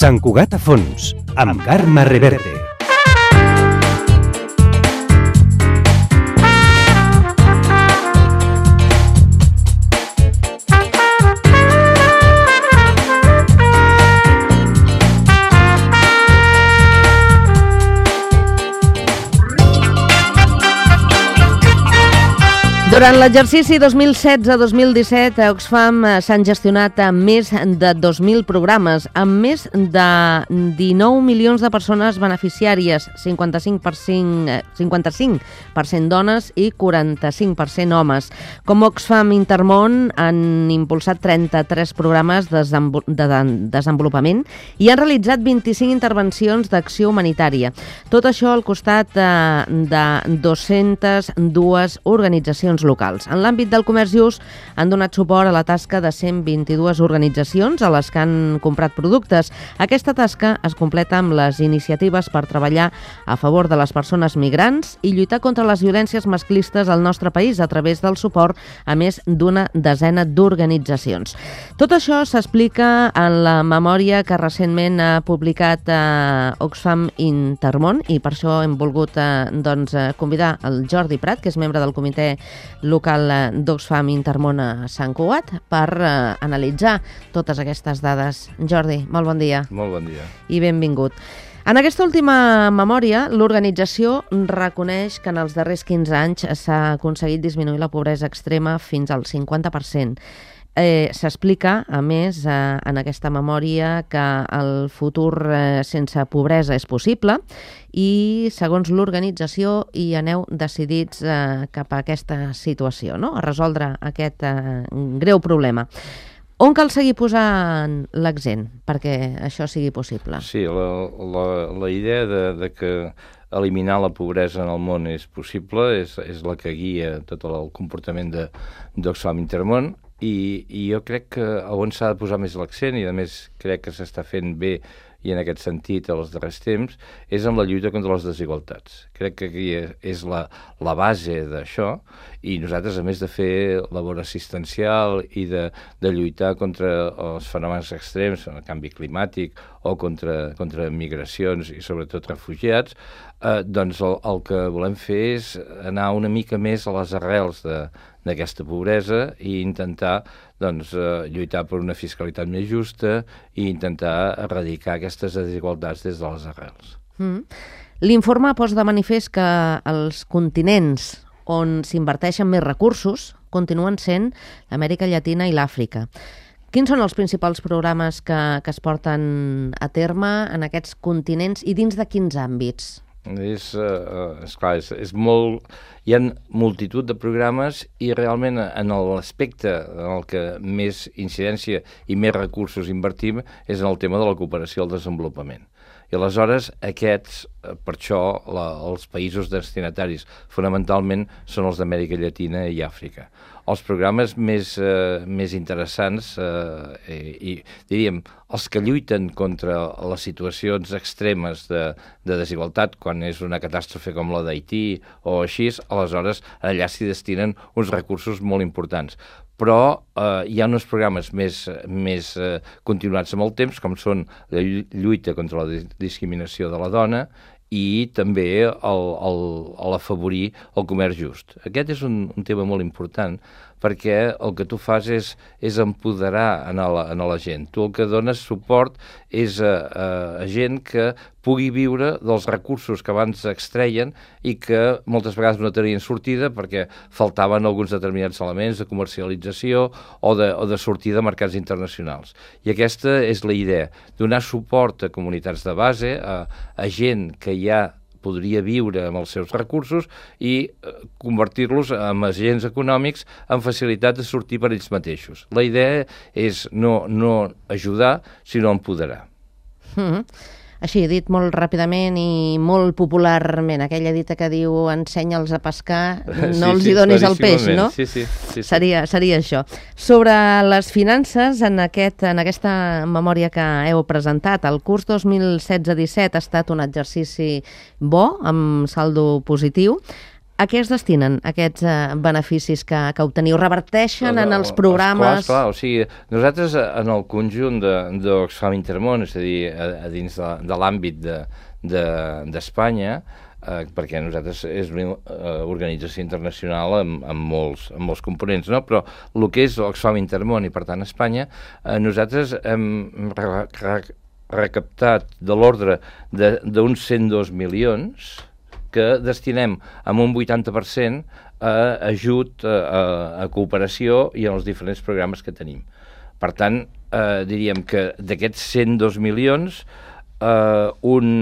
Sant Cugat a fons, amb Carme Reverte. Durant l'exercici 2016-2017, a Oxfam s'han gestionat més de 2.000 programes, amb més de 19 milions de persones beneficiàries, 55% dones i 45% homes. Com Oxfam Intermón han impulsat 33 programes de desenvolupament i han realitzat 25 intervencions d'acció humanitària. Tot això al costat de 202 organitzacions locals. En l'àmbit del comerç just han donat suport a la tasca de 122 organitzacions a les que han comprat productes. Aquesta tasca es completa amb les iniciatives per treballar a favor de les persones migrants i lluitar contra les violències masclistes al nostre país a través del suport a més d'una desena d'organitzacions. Tot això s'explica en la memòria que recentment ha publicat Oxfam Intermón i per això hem volgut convidar el Jordi Prat, que és membre del comitè local d'Oxfam Intermón a Sant Cugat, per analitzar totes aquestes dades. Jordi, molt bon dia. Molt bon dia. I benvingut. En aquesta última memòria, l'organització reconeix que en els darrers 15 anys s'ha aconseguit disminuir la pobresa extrema fins al 50%. S'explica, a més, en aquesta memòria que el futur sense pobresa és possible i, segons l'organització, hi aneu decidits cap a aquesta situació, no? A resoldre aquest greu problema. On cal seguir posant l'accent perquè això sigui possible? Sí, la idea de que eliminar la pobresa en el món és possible és la que guia tot el comportament d'Oxfam Intermón. I jo crec que on s'ha de posar més l'accent, i a més crec que s'està fent bé i en aquest sentit els darrers temps, és en la lluita contra les desigualtats. Crec que aquí és la base d'això, i nosaltres, a més de fer labor assistencial i de lluitar contra els fenòmens extrems, el canvi climàtic o contra migracions i sobretot refugiats, doncs el que volem fer és anar una mica més a les arrels d'aquesta pobresa i intentar lluitar per una fiscalitat més justa i intentar erradicar aquestes desigualtats des de les arrels. L'informe posa de manifest que els continents on s'inverteixen més recursos continuen sent l'Amèrica Llatina i l'Àfrica. Quins són els principals programes que es porten a terme en aquests continents i dins de quins àmbits? És molt... Hi ha multitud de programes i realment en l'aspecte en el que més incidència i més recursos invertim és en el tema de la cooperació al desenvolupament. I aleshores aquests, per això els països destinataris fonamentalment són els d'Amèrica Llatina i Àfrica. Els programes més interessants i diríem els que lluiten contra les situacions extremes de desigualtat, quan és una catàstrofe com la d'Haití o així, aleshores allà s'hi destinen uns recursos molt importants. Però hi ha uns programes més continuats amb el temps, com són la lluita contra la discriminació de la dona i també l'afavorir el comerç just. Aquest és un tema molt important perquè el que tu fas és empoderar a la gent. Tu el que dones suport és a gent que pugui viure dels recursos que abans extreien i que moltes vegades no tenien sortida perquè faltaven alguns determinats elements de comercialització o de sortida a mercats internacionals. I aquesta és la idea, donar suport a comunitats de base, a gent que ja podria viure amb els seus recursos i convertir-los en agents econòmics amb facilitat de sortir per ells mateixos. La idea és no ajudar, sinó empoderar. Així, dit molt ràpidament i molt popularment, aquella dita que diu ensenya'ls a pescar, no els hi donis el peix, no? Sí. Seria això. Sobre les finances, en aquesta memòria que heu presentat, el curs 2016-17 ha estat un exercici bo, amb saldo positiu. A què es destinen aquests beneficis que obteniu? Reverteixen en els programes? Clar, o sigui, nosaltres en el conjunt d'Oxfam Intermón, és a dir, a dins de l'àmbit d'Espanya, perquè nosaltres és una organització internacional amb molts components, no? Però el que és Oxfam Intermón i, per tant, Espanya, nosaltres hem recaptat de l'ordre d'uns 102 milions que destinem amb un 80% a ajut, a cooperació i als diferents programes que tenim. Per tant, diríem que d'aquests 102 milions, són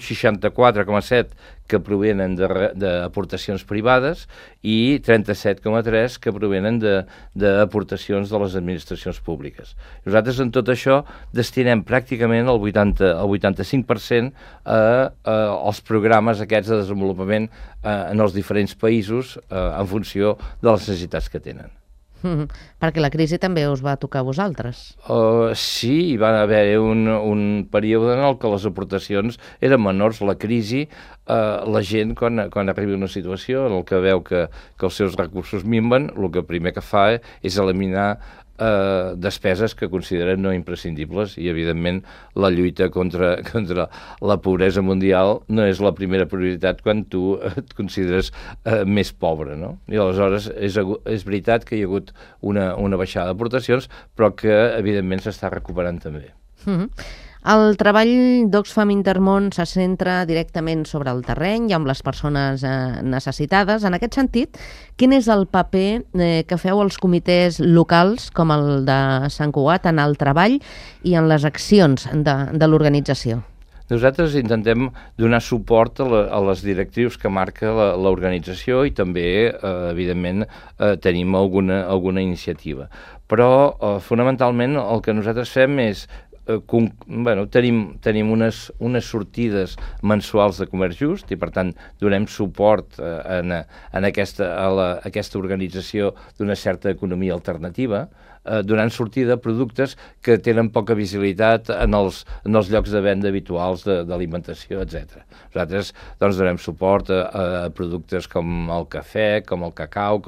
64,7 que provenen d'aportacions privades i 37,3 que provenen d'aportacions de les administracions públiques. Nosaltres en tot això destinem pràcticament el 85% als programes aquests de desenvolupament en els diferents països en funció de les necessitats que tenen. Perquè la crisi també us va tocar a vosaltres. Sí, hi va haver un període en què les aportacions eren menors. La crisi, la gent, quan arriba una situació en què veu que els seus recursos minven, el que primer que fa és eliminar despeses que consideren no imprescindibles i, evidentment, la lluita contra la pobresa mundial no és la primera prioritat quan tu et consideres més pobre, no? I aleshores és veritat que hi ha hagut una baixada d'aportacions, però que, evidentment, s'està recuperant també. El treball d'Oxfam Intermón se centra directament sobre el terreny i amb les persones necessitades. En aquest sentit, quin és el paper que feu als comitès locals, com el de Sant Cugat, en el treball i en les accions de l'organització? Nosaltres intentem donar suport a les directrius que marca l'organització i també, evidentment, tenim alguna iniciativa. Però, fonamentalment, el que nosaltres fem és tenim unes sortides mensuals de comerç just i, per tant, donem suport a aquesta organització d'una certa economia alternativa, donant sortida a productes que tenen poca visibilitat en els llocs de venda habituals d'alimentació, etc. Nosaltres donem suport a productes com el cafè, com el cacau,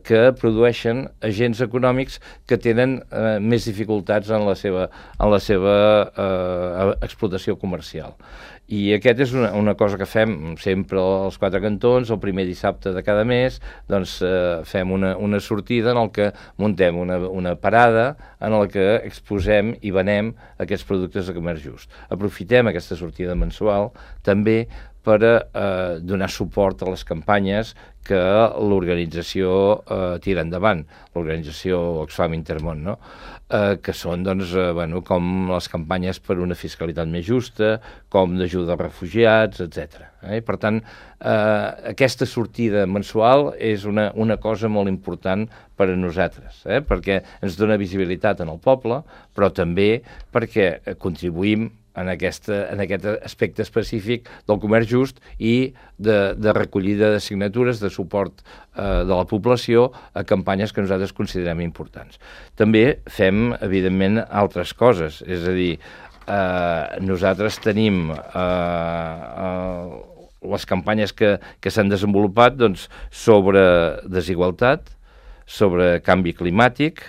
que produeixen agents econòmics que tenen més dificultats en la seva explotació comercial. I aquest és una cosa que fem sempre als Quatre Cantons, el primer dissabte de cada mes, doncs fem una sortida en què muntem una parada en la que exposem i venem aquests productes de comerç just. Aprofitem aquesta sortida mensual també per donar suport a les campanyes que l'organització tira endavant, l'organització Oxfam Intermón, no? Que són com les campanyes per una fiscalitat més justa, com d'ajuda als refugiats, etc. Per tant, aquesta sortida mensual és una cosa molt important per a nosaltres, perquè ens dona visibilitat en el poble, però també perquè contribuïm en aquest aspecte específic del comerç just i de recollida de signatures, de suport de la població a campanyes que nosaltres considerem importants. També fem, evidentment, altres coses, és a dir, nosaltres tenim les campanyes que s'han desenvolupat sobre desigualtat, sobre canvi climàtic,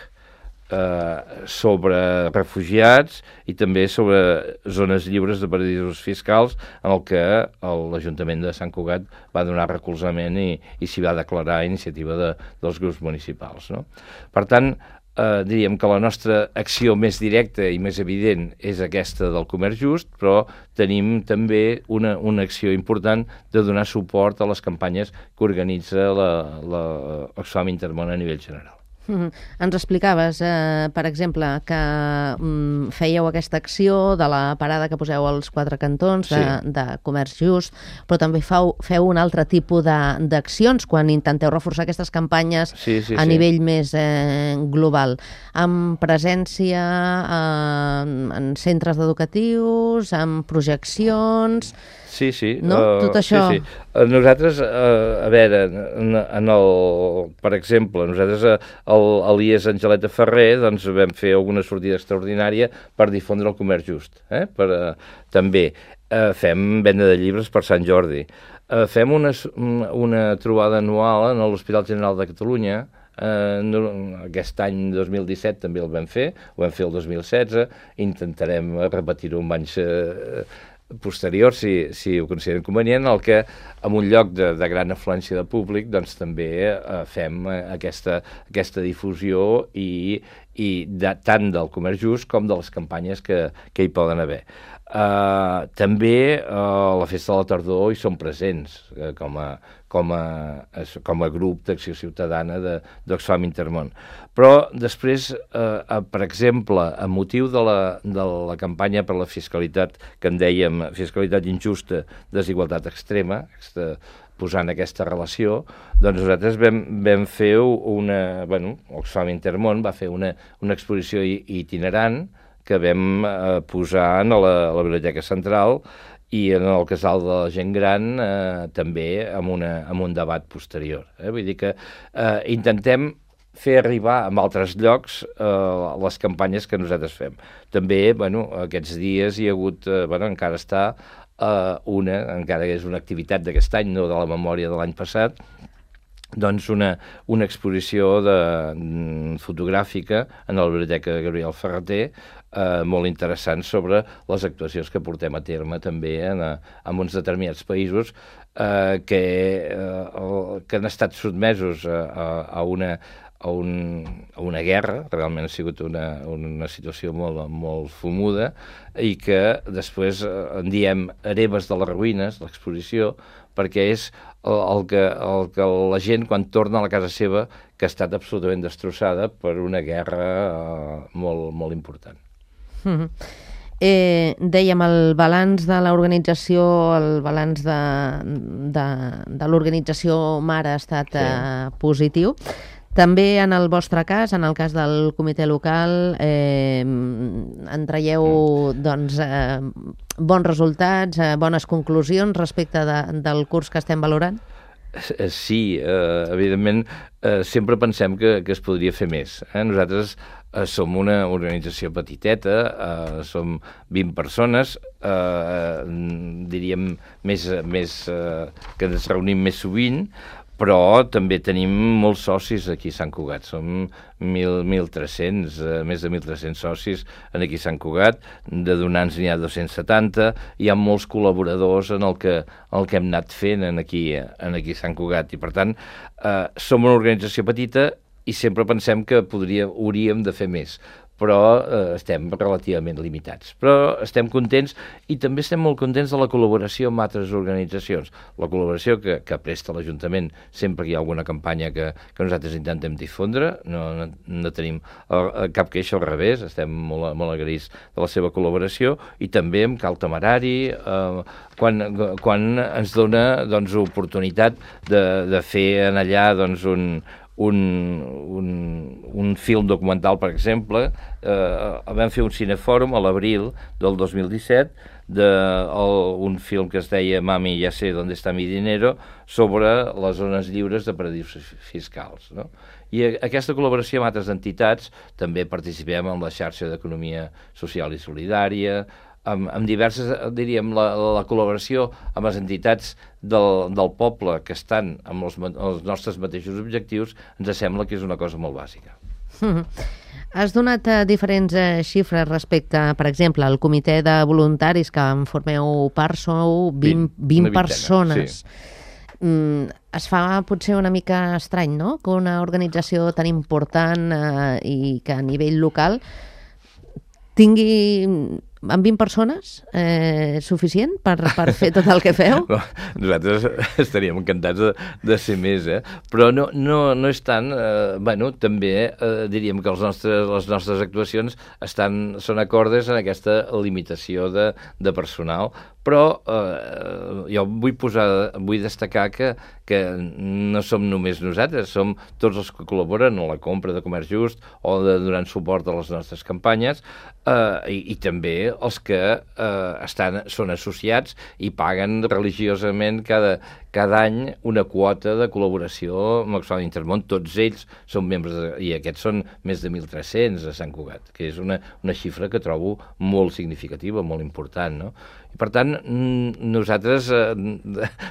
sobre refugiats i també sobre zones lliures de paradisos fiscals en el que l'Ajuntament de Sant Cugat va donar recolzament i s'hi va declarar iniciativa dels grups municipals, no? Per tant, diríem que la nostra acció més directa i més evident és aquesta del comerç just, però tenim també una acció important de donar suport a les campanyes que organitza l'Oxfam Intermón a nivell general. Ens explicaves, per exemple, que fèieu aquesta acció de la parada que poseu als Quatre Cantons de comerç just, però també feu un altre tipus d'accions quan intenteu reforçar aquestes campanyes a nivell més global, amb presència en centres educatius, amb projeccions... Sí. No? Tot això... Sí. Nosaltres, a veure, per exemple, nosaltres a l'IES Angeleta Ferrer vam fer alguna sortida extraordinària per difondre el comerç just. També fem venda de llibres per Sant Jordi. Fem una trobada anual en l'Hospital General de Catalunya. Aquest any 2017 també el vam fer el 2016, intentarem repetir-ho en anys posteriors, si ho consideren convenient, el que en un lloc de gran afluència de públic doncs també fem aquesta difusió i tant del comerç just com de les campanyes que hi poden haver. També a la Festa de la Tardor hi som presents com a grup d'acció ciutadana d'Oxfam Intermón. Però després, per exemple, a motiu de la campanya per la fiscalitat que en dèiem fiscalitat injusta, desigualtat extrema, posant aquesta relació, doncs nosaltres vam fer Oxfam Intermón va fer una exposició itinerant que vam posar a la Biblioteca Central i en el Casal de la Gent Gran també amb un debat posterior. Vull dir que intentem fer arribar a altres llocs les campanyes que nosaltres fem. També, aquests dies hi ha hagut, encara està encara que és una activitat d'aquest any, no de la memòria de l'any passat, doncs una exposició fotogràfica en la Biblioteca Gabriel Ferrater, molt interessant sobre les actuacions que portem a terme també en uns determinats països que han estat sotmesos a una guerra, realment ha sigut una situació molt fumuda, i que després en diem Hereves de les ruïnes, l'exposició, perquè és el que la gent, quan torna a la casa seva, que ha estat absolutament destrossada per una guerra molt important. Dèiem el balanç de l'organització, el balanç de l'organització mare ha estat positiu. També en el vostre cas, en el cas del comitè local, en traieu bons resultats, bones conclusions respecte del curs que estem valorant? Sí, evidentment, sempre pensem que es podria fer més. Nosaltres som una organització petiteta, som 20 persones, diríem que ens reunim més sovint, però també tenim molts socis aquí a Sant Cugat. Som 1.300, més de 1.300 socis aquí a Sant Cugat. De donants n'hi ha 270. Hi ha molts col·laboradors en el que hem anat fent aquí a Sant Cugat. I, per tant, som una organització petita i sempre pensem que hauríem de fer més. Però estem relativament limitats. Però estem contents i també estem molt contents de la col·laboració amb altres organitzacions. La col·laboració que presta l'Ajuntament sempre que hi ha alguna campanya que nosaltres intentem difondre, no tenim cap queixa, al revés, estem molt agraïts de la seva col·laboració, i també amb Cal Temerari, quan ens dona oportunitat de fer en allà un film documental, per exemple. Vam fer un cinefòrum a l'abril del 2017 d'un film que es deia Mami, ya sé dónde está mi dinero, sobre les zones lliures de paradisos fiscals, no? I aquesta col·laboració amb altres entitats, també participem en la xarxa d'economia social i solidària, amb diverses, diríem, la col·laboració amb les entitats del poble que estan amb els nostres mateixos objectius, ens sembla que és una cosa molt bàsica. Has donat diferents xifres respecte, per exemple, al comitè de voluntaris que en formeu part, sou 20 persones. Sí. Es fa potser una mica estrany, no?, que una organització tan important i que a nivell local tingui amb 20 persones suficient per fer tot el que feu? Nosaltres estaríem encantats de ser més, però no és tant. També diríem que les nostres actuacions són acordes en aquesta limitació de personal, però jo vull destacar que no som només nosaltres, som tots els que col·laboren a la compra de comerç just o donant suport a les nostres campanyes, i també els que són associats i paguen religiosament cada any una quota de col·laboració amb Oxfam Intermón. Tots ells són membres, i aquests són més de 1.300 a Sant Cugat, que és una xifra que trobo molt significativa, molt important, no? I, per tant, nosaltres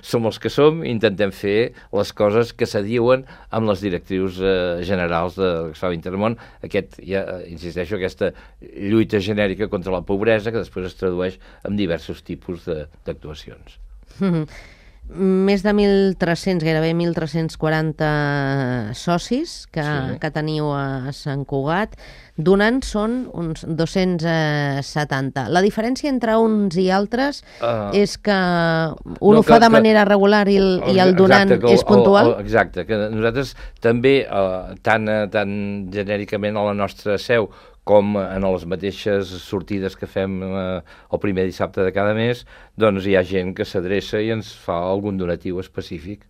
som els que som, intentem fer les coses que s'adiuen amb les directrius generals de l'Oxfam Intermón. Insisteixo, aquesta lluita genèrica contra la pobresa, que després es tradueix en diversos tipus d'actuacions. Més de 1.300, gairebé 1.340 socis que teniu a Sant Cugat. Donant són uns 270. La diferència entre uns i altres és que un ho fa de manera regular i el donant és puntual? Exacte, que nosaltres també, tant genèricament a la nostra seu com en les mateixes sortides que fem el primer dissabte de cada mes, doncs hi ha gent que s'adreça i ens fa algun donatiu específic.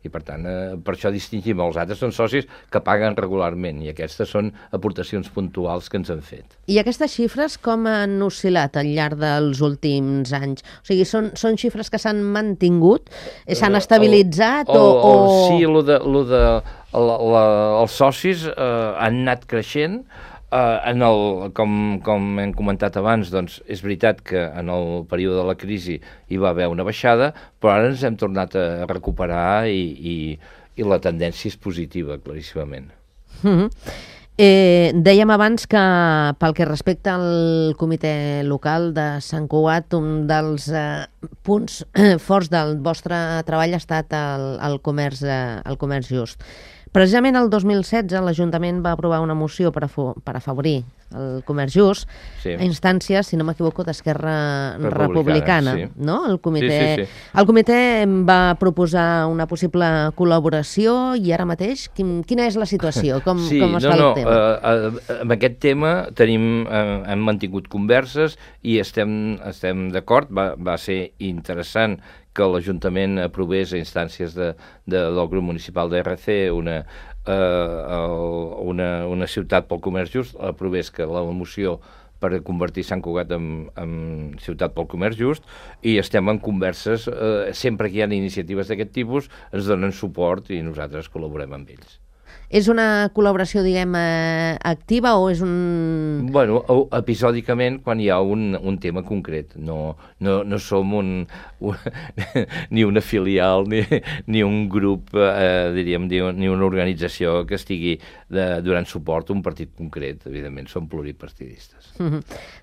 I, per tant, per això distingim. Els altres són socis que paguen regularment i aquestes són aportacions puntuals que ens han fet. I aquestes xifres com han oscil·lat al llarg dels últims anys? O sigui, són xifres que s'han mantingut? S'han estabilitzat? Sí, els socis han anat creixent. Com hem comentat abans, doncs és veritat que en el període de la crisi hi va haver una baixada, però ara ens hem tornat a recuperar i la tendència és positiva, claríssimament. Dèiem abans que pel que respecta al comitè local de Sant Cugat, un dels punts forts del vostre treball ha estat el comerç just. Precisament el 2016 l'Ajuntament va aprovar una moció per afavorir el comerç just a instàncies, si no m'equivoco, d'Esquerra Republicana. No? El comitè va proposar una possible col·laboració i ara mateix quina és la situació? Com està el tema? Amb aquest tema hem mantingut converses i estem d'acord. Va ser interessant que l'Ajuntament aprovés a instàncies del grup municipal d'RC una ciutat pel comerç just, aprovés que la moció per convertir Sant Cugat en ciutat pel comerç just, i estem en converses, sempre que hi ha iniciatives d'aquest tipus ens donen suport i nosaltres col·laborem amb ells. És una col·laboració, diguem, activa o és un... Bueno, episòdicament quan hi ha un tema concret. No som ni una filial ni un grup, diríem, ni una organització que estigui donant suport a un partit concret. Evidentment, som pluripartidistes.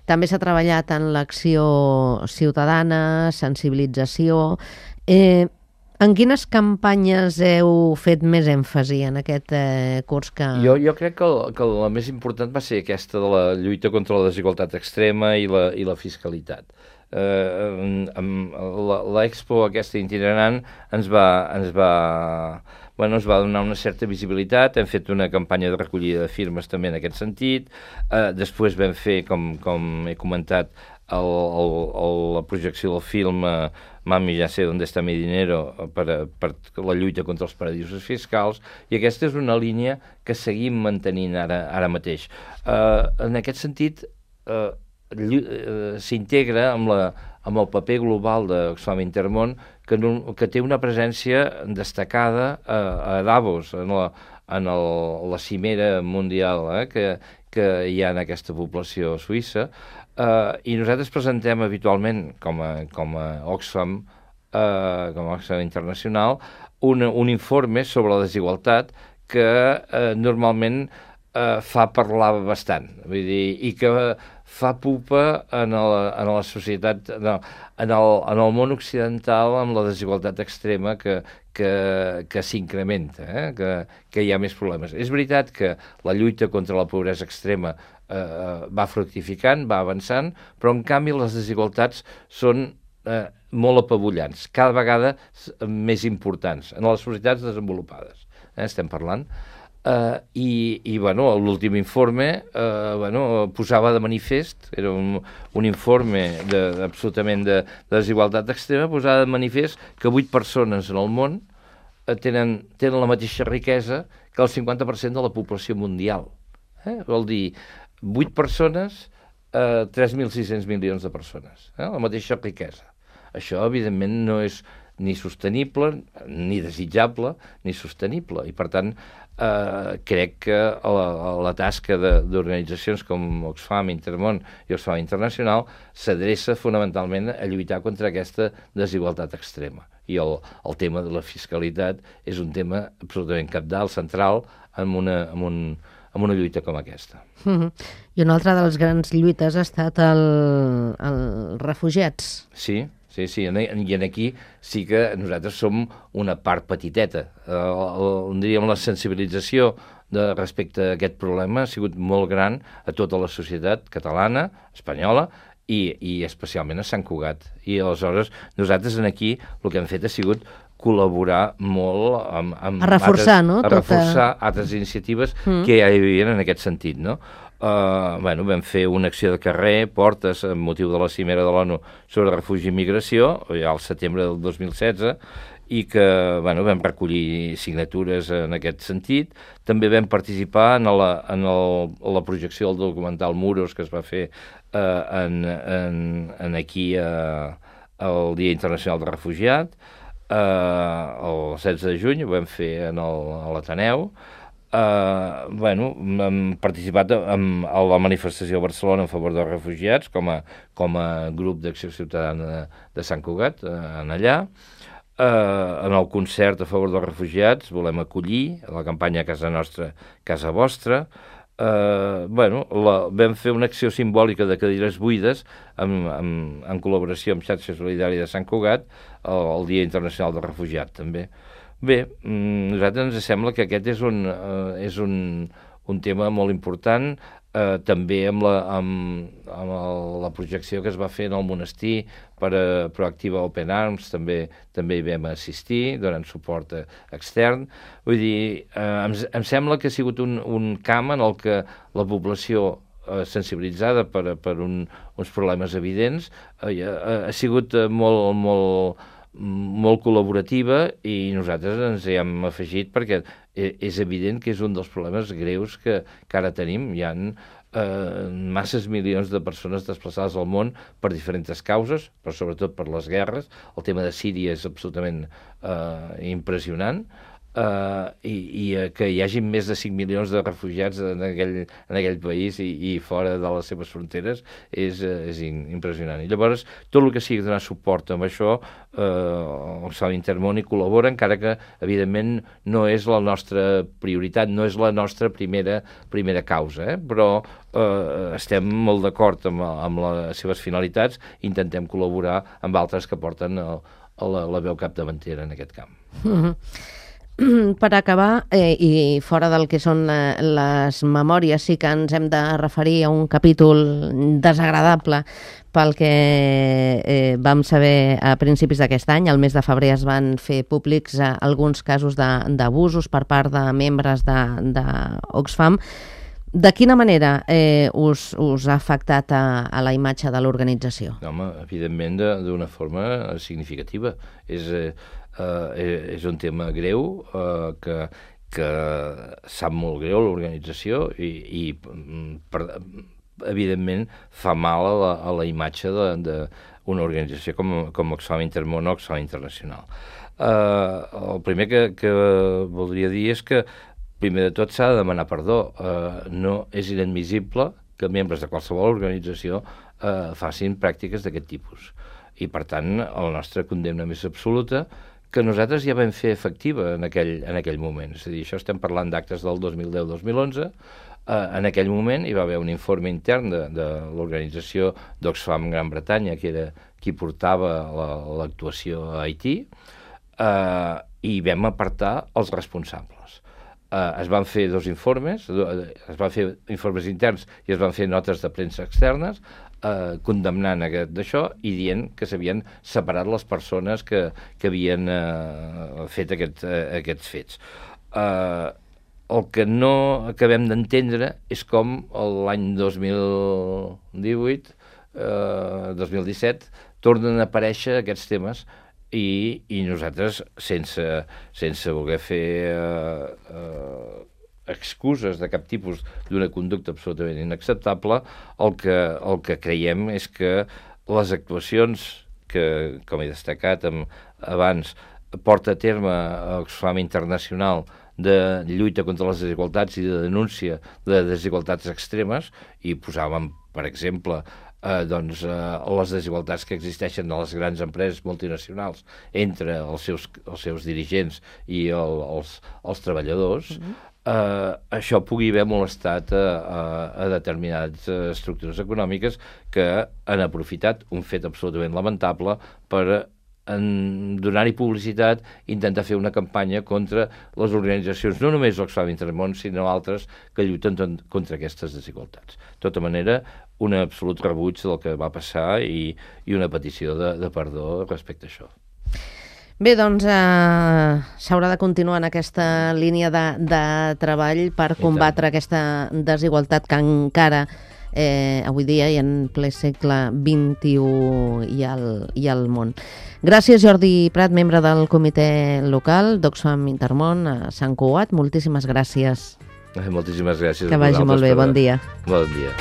També s'ha treballat en l'acció ciutadana, sensibilització... En quines campanyes heu fet més èmfasi en aquest curs que... Jo crec que la més important va ser aquesta de la lluita contra la desigualtat extrema i la fiscalitat. L'Expo aquesta itinerant ens va donar una certa visibilitat. Hem fet una campanya de recollida de firmes també en aquest sentit. Després vam fer, com he comentat, la projecció del film Mami, ja sé dónde está mi dinero, per la lluita contra els paradisos fiscals, i aquesta és una línia que seguim mantenint ara mateix. En aquest sentit, s'integra amb el paper global d'Oxfam Intermón, que té una presència destacada a Davos, en la cimera mundial que hi ha en aquesta població suïssa, i nosaltres presentem habitualment com a Oxfam Internacional un informe sobre la desigualtat que normalment fa parlar bastant, vull dir, i que fa pupa en la societat, en el món occidental, amb la desigualtat extrema que s'incrementa, que hi ha més problemes. És veritat que la lluita contra la pobresa extrema va fructificant, va avançant, però en canvi les desigualtats són molt apabullants, cada vegada més importants en les societats desenvolupades. Estem parlant. L'últim informe posava de manifest, era un informe absolutament de desigualtat extrema, posava de manifest que 8 persones en el món tenen la mateixa riquesa que el 50% de la població mundial. Vol dir, 8 persones, 3.600 milions de persones, la mateixa riquesa. Això, evidentment, no és ni sostenible, ni desitjable, ni sostenible. I, per tant, crec que la tasca d'organitzacions com Oxfam, Intermón i Oxfam Internacional s'adreça fonamentalment a lluitar contra aquesta desigualtat extrema. I el tema de la fiscalitat és un tema absolutament cabdal, central, en una lluita com aquesta. I una altra de les grans lluites ha estat els refugiats. Sí, i aquí sí que nosaltres som una part petiteta. Diríem la sensibilització respecte a aquest problema ha sigut molt gran a tota la societat catalana, espanyola, i especialment a Sant Cugat. I aleshores nosaltres aquí el que hem fet ha sigut col·laborar molt amb a reforçar, altres, no? A reforçar altres iniciatives que ja hi havia en aquest sentit, no? Vam fer una acció de carrer, portes, amb motiu de la cimera de l'ONU sobre refugi i migració, ja al setembre del 2016, i que vam recollir signatures en aquest sentit. També vam participar en la projecció del documental Muros, que es va fer aquí al Dia Internacional del Refugiat, el 16 de juny, ho vam fer a l'Ateneu. Hem participat a la manifestació a Barcelona en favor dels refugiats com a grup d'acció ciutadana de Sant Cugat, allà. En el concert a favor dels refugiats volem acollir la campanya Casa Nostra, Casa Vostra. Vam fer una acció simbòlica de cadires buides en col·laboració amb Xarxa Solidària de Sant Cugat el Dia Internacional del Refugiat, també. Bé, a nosaltres ens sembla que aquest és un tema molt important, també amb la projecció que es va fer en el monestir per a Proactiva Open Arms, també hi vam assistir, donant suport extern. Vull dir, em sembla que ha sigut un camp en el que la població sensibilitzada per uns problemes evidents ha sigut molt col·laborativa, i nosaltres ens hi hem afegit perquè és evident que és un dels problemes greus que ara tenim. Hi ha masses milions de persones desplaçades al món per diferents causes, però sobretot per les guerres. El tema de Síria és absolutament impressionant, i que hi hagi més de 5 milions de refugiats en aquell país i fora de les seves fronteres és impressionant. I llavors, tot el que sigui donar suport amb això, Oxfam Intermón hi col·labora, encara que, evidentment, no és la nostra prioritat, no és la nostra primera causa, però estem molt d'acord amb les seves finalitats i intentem col·laborar amb altres que porten la veu capdavantera en aquest camp. Per acabar, i fora del que són les memòries, sí que ens hem de referir a un capítol desagradable pel que vam saber a principis d'aquest any. Al mes de febrer es van fer públics alguns casos d'abusos per part de membres d'Oxfam. De quina manera us ha afectat a la imatge de l'organització? Home, evidentment d'una forma significativa. És un tema greu, que sap molt greu l'organització i evidentment fa mal a la imatge d'una organització com Oxfam Intermón o Oxfam Internacional. El primer que voldria dir és que primer de tot s'ha de demanar perdó. No és inadmissible que membres de qualsevol organització facin pràctiques d'aquest tipus. I, per tant, la nostra condemna més absoluta, que nosaltres ja vam fer efectiva en aquell moment. És a dir, això estem parlant d'actes del 2010-2011. En aquell moment hi va haver un informe intern de l'organització d'Oxfam Gran Bretanya, que era qui portava l'actuació a Haití, i vam apartar els responsables. Es van fer dos informes, es van fer informes interns i es van fer notes de premsa externes, condemnant d'això i dient que s'havien separat les persones que havien fet aquests fets. El que no acabem d'entendre és com l'any 2018, 2017, tornen a aparèixer aquests temes i nosaltres, sense voler fer excuses de cap tipus d'una conducta absolutament inacceptable, el que creiem és que les actuacions que, com he destacat abans, porta a terme Oxfam Internacional de lluita contra les desigualtats i de denúncia de desigualtats extremes, i posàvem, per exemple, les desigualtats que existeixen a les grans empreses multinacionals entre els seus dirigents i els treballadors, això pugui haver molestat a determinades estructures econòmiques que han aprofitat un fet absolutament lamentable per donar-hi publicitat, intentar fer una campanya contra les organitzacions, no només Oxfam Intermón, sinó altres que lluiten contra aquestes desigualtats. De tota manera, un absolut rebuig del que va passar i una petició de perdó respecte a això. Bé, doncs s'haurà de continuar en aquesta línia de treball per combatre aquesta desigualtat que encara avui dia i en ple segle XXI i al món. Gràcies, Jordi Prat, membre del comitè local d'Oxfam Intermón a Sant Cugat. Moltíssimes gràcies. Moltíssimes gràcies. Que vagi molt bé. Bon dia. Bon dia.